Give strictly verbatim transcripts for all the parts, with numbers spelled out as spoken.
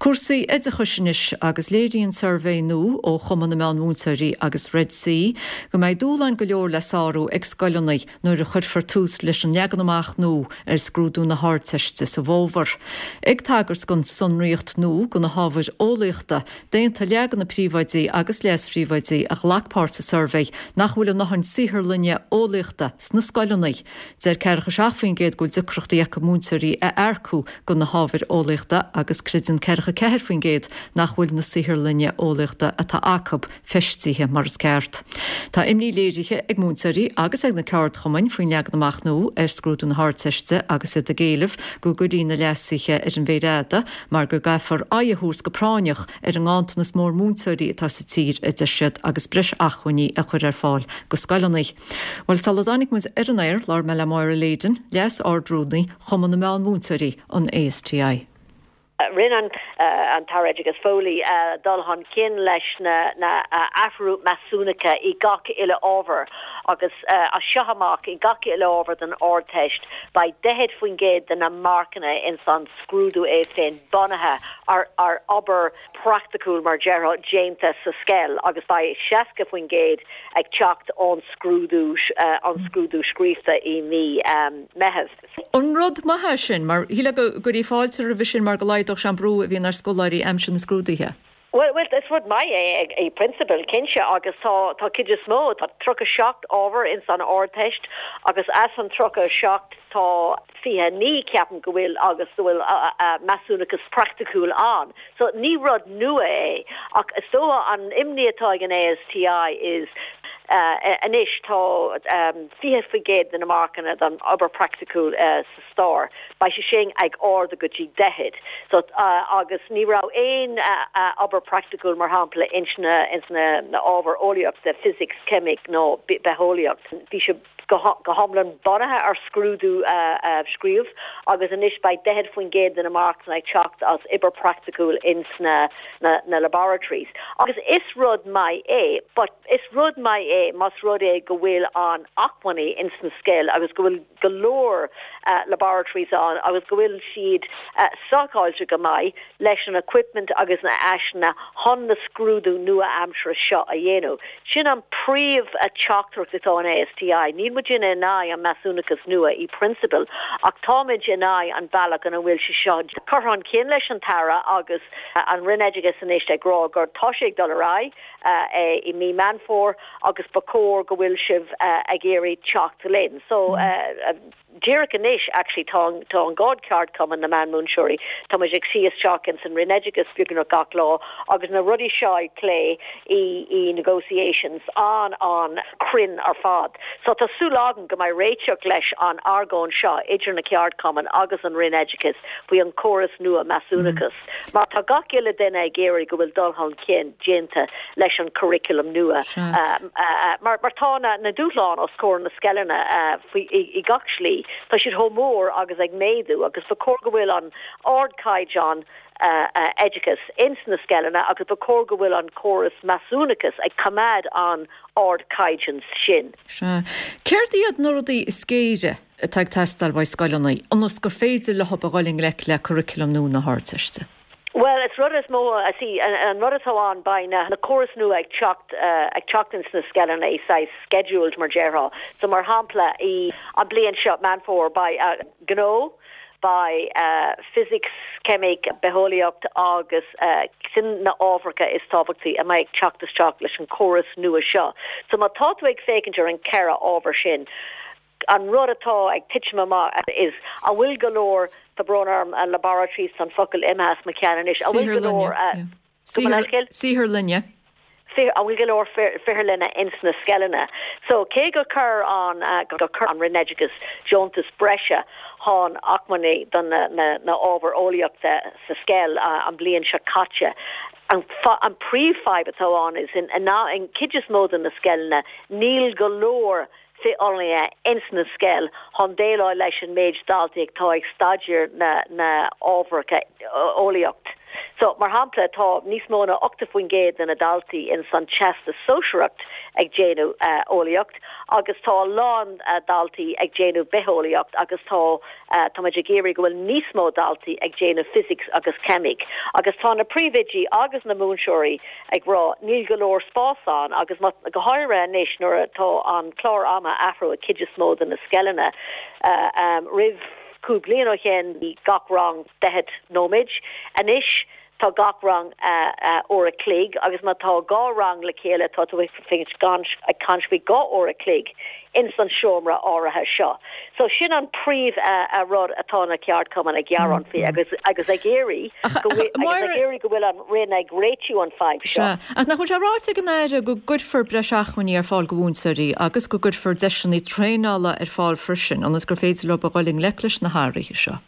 Cúrsaí oideachais anois agus léiríonn suirbhé nua ó Chumann na Meán-Mhúinteoirí agus Red C go mbeidh dúshláin go leor le sárú ag scoileanna nuair a chuirfear tús leis an leagan amach nua ar scrúdú na hArdteiste sa bhfómhar. Ag tagairt don tsonraíocht nua do na hábhair eolaíochta, d'aontaigh leath de na príomhoidí agus leas-phríomhoidí a ghlac páirt sa suirbhé nach bhfuil a ndóthain saotharlainne eolaíochta sna scoileanna. Deir ceathracha seacht faoin gcéad go bhfuil deacrachtaí acu múinteoirí a earcú do na hábhair eolaíochta agus creideann ceathracha ceathair faoin gcéad nach bhfuil na saotharlainne eolaíochta atá acu feistithe mar is ceart. Tá imní léirithe ag múinteoirí agus ag na ceardchumainn faoin leagan amach nua ar scrúdú na hArdteiste agus iad ag éileamh go gcuirfí na leasuithe ar an mhéar fhada mar go gcaithfear aghaidh a thabhairt go práinneach ar an nganntanas mór múinteoirí atá sa tír a deir siad agus breis acmhainní a chur ar fáil do scoileanna. Bhuel sula dtáinig muid ar an aer labhair mé le Máire Leyden, Leas-Ard-Rúnaí Chumann na Meán-Mhúinteoirí an ASTI. Rinne an an tAire Oideachais Foley dul chun cinn leis na na athrú measúnacha i gach uile ábhar agus as seo amach i gach uile ábhar den Ardteist beidh daichead faoin gcéad de na marcanna ins an scrúdú é féin bunaithe ar ar obair praiticiúil mar déarfá déanta sa scoil agus beidh seasca faoin gcéad ag teacht ón scrúdú an scrúdú scríofa i mí Meitheamh. An rud maith é sin mar shílfeá go gcuirfí fáilte roimhe sin mar go laghdódh sé an brú a bhíonn ar scoláirí aimsir na scrúduithe. Well, well, is rud maith é i bprionsabal cinnte agus tá tá cuid is mó tá tríocha seacht ábhar ins an Ardteist agus as an tríocha seacht tá fiche naoi ceapaim go bhfuil agus go bhfuil measúnachas praiticiúil ann. So ní rud nua é ach is dócha an imní atá ag an ASTI is anois tá fiche faoin gcéad de na marcanna don obair praiticiúil sa stair. Beidh sé sin ag ardú go dtí daichead. So agus ní raibh aon obair praiticiúil mar shampla ins na ins na na ábhair eolaíochta, physics, ceimic nó bitheolaíocht. Bhí sé go hiomlán bunaithe ar scrúdú scríofa agus anois beidh daichead faoin gcéad de na marcanna ag teacht as obair praiticiúil ins na na na laboratories. Agus is rud maith é, but is rud maith é más rud é go bhfuil an acmhainní ins na scoil agus go bhfuil go leor uh, laboratories ann agus go bhfuil siad uh, stocáilte go maith leis an equipment agus na háiseanna chun na scrúdú nua-aimseartha seo a dhéanamh. Sin an príomh a teachtaireacht atá an ASTI, Níl muid in aghaidh an measúnachas nua i bprionsabal ach táimid in aghaidh an bealach ina bhfuil sé seo curtha chun cinn leis an tAire agus an Roinn Oideachais anois ag rá gur tá sé ag dul ar aghaidh uh, i mí Meán Fómhair agus ba chóir go bhfuil sibh uh, ag iarraidh teacht linn. So uh, díreach anois actually tá tá an dhá cheardchumann na meánmhúinteoirí Tá muid ag suí isteach in san Roinn Oideachais beagnach gach lá agus na rudaí seo ag plé i i negotiations an an cruinn ar fad. So tá súil agam go mbeidh réiteach leis an argóint seo idir na ceardchumainn agus an Roinn Oideachais faoi an córas nua measúnachas. Mm. Mar tá gach uile duine ag iarraidh go bhfuil dul chun cinn déanta leis an curriculum nua. Um, uh, mar mar tá na, na dúshláin os comhair na scoileanna uh, i, i gach slí. Tá siad chomh mór agus ag méadú agus ba chóir go bhfuil an ardchaighdeán uh, uh, oideachas ins na scoileanna agus ba chóir go bhfuil an córas measúnachas ag coimeád an ardchaighdeán sin. Céard iad na rudaí is géire atá ag teastáil ó scoileanna, ionas gur féidir leo a dhul i ngleic le curriculum nua na hArdteiste. Well, is rud is mó a sí an rud atá ann beidh na na córas nua ag teacht uh, ag teacht ins na scoileanna é saghas scheduled mar déarfá. So mar shampla i an bliain seo Meán Fómhair beidh uh, gnó, beidh uh, physics, ceimic, bitheolaíocht agus uh, sin na ábhair is tábhachtaí a mbeidh teacht isteach leis an córas nua seo. So má tá tú ag féachaint ar an ceithre ábhar sin. An rud atá ag titim amach is an bhfuil go leor tá brón orm an laboratories an focal imithe as mo cheann anois an bhfuil go leor Saotharlainne. An bhfuil go leor saotharlainne ins na scoileanna. So cé gur chuir an uh, gur chuir an Roinn Oideachais deontas breise chun acmhainní don na, na, na ábhar eolaíochta sa scoil uh, an bliain seo caite. An, an príomhfhadhb atá ann is in, in, in cuid is mó de na scoileanna níl go leor saotharlainne ins na scoil chun déileáil leis an méid daltaí atá ag staidéar na na ábhair eolaíocht. So mar shampla tá níos mó ná ochtó faoin gcéad de na daltaí in san Teastas Sóisearach ag déanamh uh, eolaíocht agus tá a lán uh, daltaí ag déanamh bitheolaíocht agus tá uh, tá ag iarraidh go bhfuil níos mó daltaí ag déanamh physics agus ceimic. Agus tá na príomhoidí agus na múinteoirí ag rá níl go leor spás ann agus go háirithe anois nuair atá an clár ama athrú i gcuid is mó de na scoileanna uh, um, roimh cúpla bliain ó shin gach rang daichead nóiméad. Anois tá gach rang uh, uh, uair a chloig agus má tá dhá rang le chéile tá tú gan ag caint faoi dhá uair a chloig in san seomra áirithe seo. So sin an príomh uh, uh, rud atá na ceardchumainn ag gearán faoi agus agus ag iarraidh go bhfuil an Roinn ag réitiú an fhadhb seo. Ach nach bhfuil sé ráite ag an Aire go gcuirfear breis acmhainní ar fáil do mhúinteoirí agus go gcuirfear deiseanna traenála ar fáil freisin, ionas gur féidir leo a dhul i ngleic leis na hathruithe seo.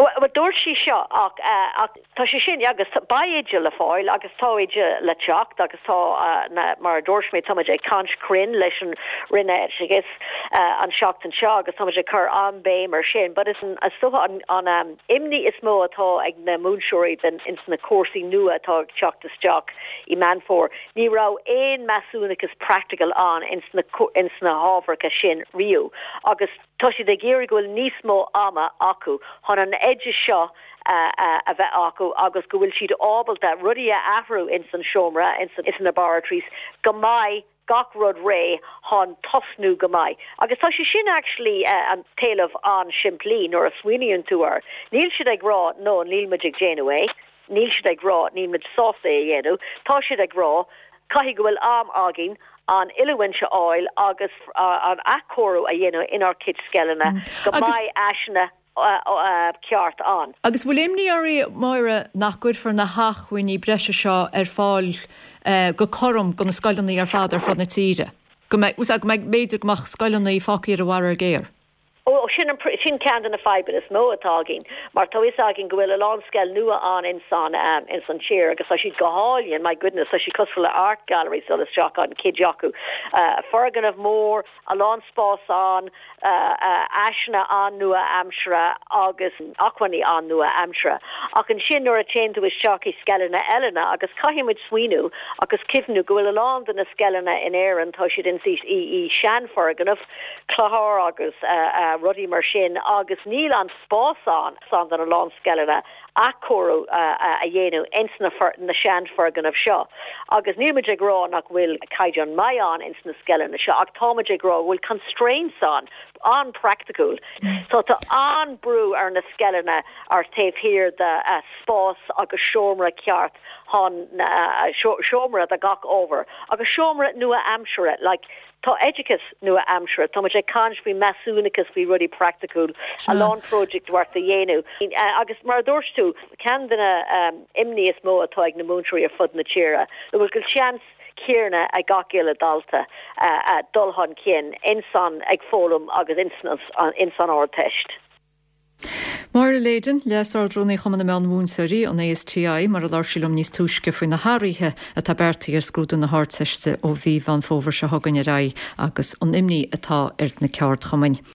Well dúirt sí seo ach uh, ach tá sé sin agus beidh oide le fáil agus tá oide le teacht agus tá uh, na, mar a dúirt mé tá ag caint cruinn leis an Roinn agus uh, an seachtain seo agus tá ag cur an-bhéim air sin, but is an is an, an um, imní is mó atá ag na múinteoirí den ins na cúrsaí nua atá ag teacht isteach i Meán Fómhair. Ní raibh aon measúnachas practical ann ins na ins na hábhair sin riamh agus tá siad ag iarraidh go bhfuil níos mó ama acu chun an oideas seo uh, uh, a bheith acu agus go bhfuil siad ábalta rudaí a athrú in san seomra in san laboratories go mbeidh gach rud réidh chun tosnú go maith. Agus tá sé sin actually uh, an t-éileamh an-simplí nuair a smaoiníonn tú air. Níl siad ag rá no níl muid ag déanamh é, níl siad ag rá níl muid sásta é a dhéanamh, Tá siad ag rá caithfidh go bhfuil am againn an oiliúint a fháil agus uh, an athchóiriú a dhéanamh inár gcuid scoileanna mm. go mbeidh áiseanna uh, uh, ceart ann. Agus bhfuil imní oraibh Máire nach gcuirfear na hacmhainní breise seo ar fáil uh, go cothrom do na scoileanna ar fad ar fud na tíre. Go mbeidh go mbeidh b'fhéidir go mbeadh scoileanna fágtha ar a bharra géar. Ó sin sin ceann de na fadhbanna is mó atá againn, mar tá fhios againn go bhfuil a lán scoil nua ann in san um, in san tír agus tá siad go hálainn my goodness tá siad cosúil le art gallery so isteach an cuid acu. Uh, foirgneamh mór a lán spás ann uh, uh, áiseanna an-nua-aimseartha agus acmhainní an-nua-aimseartha. Ach ansin nuair a théann tú isteach i scoileanna eile agus caithfimid smaoineamh agus cuimhneamh go bhfuil a lán de na scoileanna in Éirinn tá siad in í í seanfhoirgneamh clochar agus uh, uh, rudaí mar sin agus níl an spás ann san den a lán scoileanna athchóiriú uh, uh, a dhéanamh ins na, na seanfhoirgnimh seo. Agus níl ag rá nach bhfuil caighdeán maith ann ins na scoileanna seo ach táimid ag rá bhfuil constraints ann an-praiticiúil. So tá an-bhrú ar na scoileanna ar taobh thiar de uh, spás agus seomra ceart chun uh, seomra do gach ábhar agus seomra nua-aimseartha like tá oideachas nua-aimseartha Tá sé caint faoi measúnachas faoi rudaí praiticiúil a lán project work a dhéanamh. Uh, agus mar dúirt tú ceann de na um, imní is mó atá ag na múinteoirí ar fud na tíre. bhfuil go seans céanna ag gach uile dalta uh, uh, dul chun cinn insan ag foghlaim agus insan Ardteist. Máire Leyden Leas-Ardrúnaí Chumann na Meán-Mhúinteoirí an ASTI mar a labhair sí liom níos túisce faoi na hathruithe atá beartaithe ar scrúdú na hArdteiste ó mhí Mheán Fómhair seo chugainn ar aghaidh agus an imní atá ar na ceardchumainn.